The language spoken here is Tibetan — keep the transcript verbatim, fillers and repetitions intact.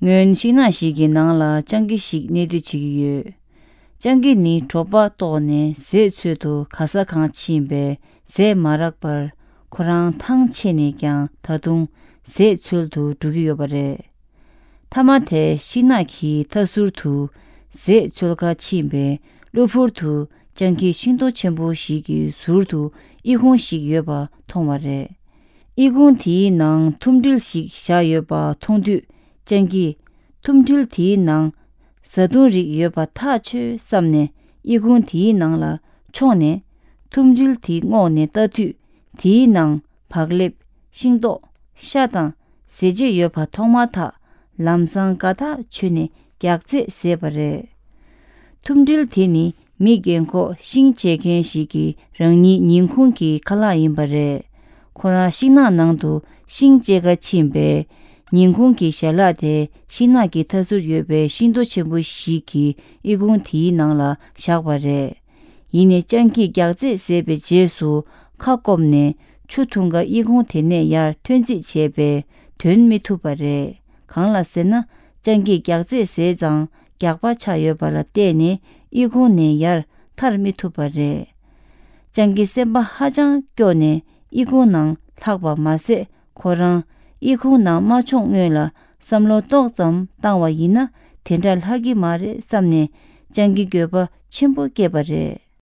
སྔོན་ཤིང་ནགས་ཤིག་གི་ནང་ལ་སྤྱང་ཀི་ཞིག་གནས་སྡོད་བྱེད་ཀྱི་ཡོད། སྤྱང་ཀི་ནི་གྲོད་པ་ལྟོགས་ནས་ཟས་འཚོལ་དུ་ག་ས་གང་ཕྱིན་པས་ཟས་མ་རག་པར་ཁོ་རང་ཐང་ཆད་ནས་ཀྱང་ད་དུང་ཟས་འཚོལ་དུ་འགྲོ་གི་ཡོད་པ་རེད། མཐའ་མ་དེ་ཤིང་ནགས་ཀྱི་མཐའ་ཟུར་དུ་ཟས་འཚོལ་ག་ཕྱིན་པས་གློ་བུར་དུ་སྤྱང་ཀི་ཤིང་ཏོག་ཆེན་པོ་ཞིག་གི་ཟུར་དུ་ཨི་ཁུང་ཞིག་ཡོད་པ་མཐོང་བ་རེད། ཨི་ཁུང་དེའི་ནང་ཐུམ་སྒྲིལ་ཞིག་བཞག་ཡོད་པ་མཐོང་དུས་སྤྱང་ཀིས་ཐུམ་སྒྲིལ་དེའི་ནང་བཟའ་བཏུང་རིགས་ཡོད་པ་ཐག་ཆོད་བསམ་ནས་ཨི་ཁུང་དེའི་ནང་ལ་མཆོངས་ནས་ཐུམ་སྒྲིལ་དེ་སྔོག་ནས་ལྟ་དུས་དེའི་ནང་བག་ལེབ། ཤིང་ཏོག་ཤ་དང་ཟས་བཅད་ཡོད་པ་མཐོང་མ་ཐག་ལམ་སང་དགའ་ཐག་ཆོད་ནས་རྒྱགས་ཚད་བཟས་པ་རེད། ཐུམ་སྒྲིལ་དེ་ནི་མི་རྒན་འཁོགས་ཤིང་བཅད་མཁན་ཞིག་གི་རང་ཉིད་ཉིན་གུང་གི་ཁ་ལག་ཡིན་པ་རེད། ཁོ་རང་ཤིང་ནགས་ནང་དུ་ཤིང་བཅད་ག་ཕྱིན་པས། ཉིན་གུང་གི་ཞལ་ལག་དེ་ཤིང་ནགས་ཀྱི་མཐའ་ཟུར་ཡོད་པའི་ཤིང་ཏོག་ཆེན་པོ་ཞིག་གི་ཨི་ཁུང་དེའི་ནང་ལ་བཞག་པ་རེད། ཡིན་ནའི་སྤྱང་ཀིས་རྒྱགས་ཚད་བཟས་པའི་རྗེས་སུ་ཁ་སྐོམ་ནས་ཆུ་འཐུང་གར་ཨི་ཁུང་དེ་ནས་ཡར་ཐོན་རྩིས་བྱས་པས་ཐོན་མི་ཐུབ་པ་རེད། གང་ལ་ཟེར་ན་སྤྱང་ཀིས་རྒྱགས་ཚད་བཟས་ཙང་རྒྱགས་པ་ཆགས་ཡོད་པ་ལ་བརྟེན་ནས་ཨི་ཁུང་ནས་ཡར་ཐར་མི་ཐུབ་པ་རེད། སྤྱང་ཀི་སེམས་པ་ཧ་ཅང་སྐྱོ་ནས་ཨི་ཁུང་ནང་ལྷགས་པ་མ་ཟད་ཁོ་རང་ཨི་ཁུང་ནང་མ་མཆོངས་སྔོན་ལ་བསམ་བློ་ཏོག་ཙམ་བཏང་བ་ཡིན་ན་དེ་འདྲ་ལྷག་གི་མ་རེད་བསམ་ནས་སྤྱང་ཀི་འགྱོད་པ་ཆེན་པོ་སྐྱེས་པ་རེད།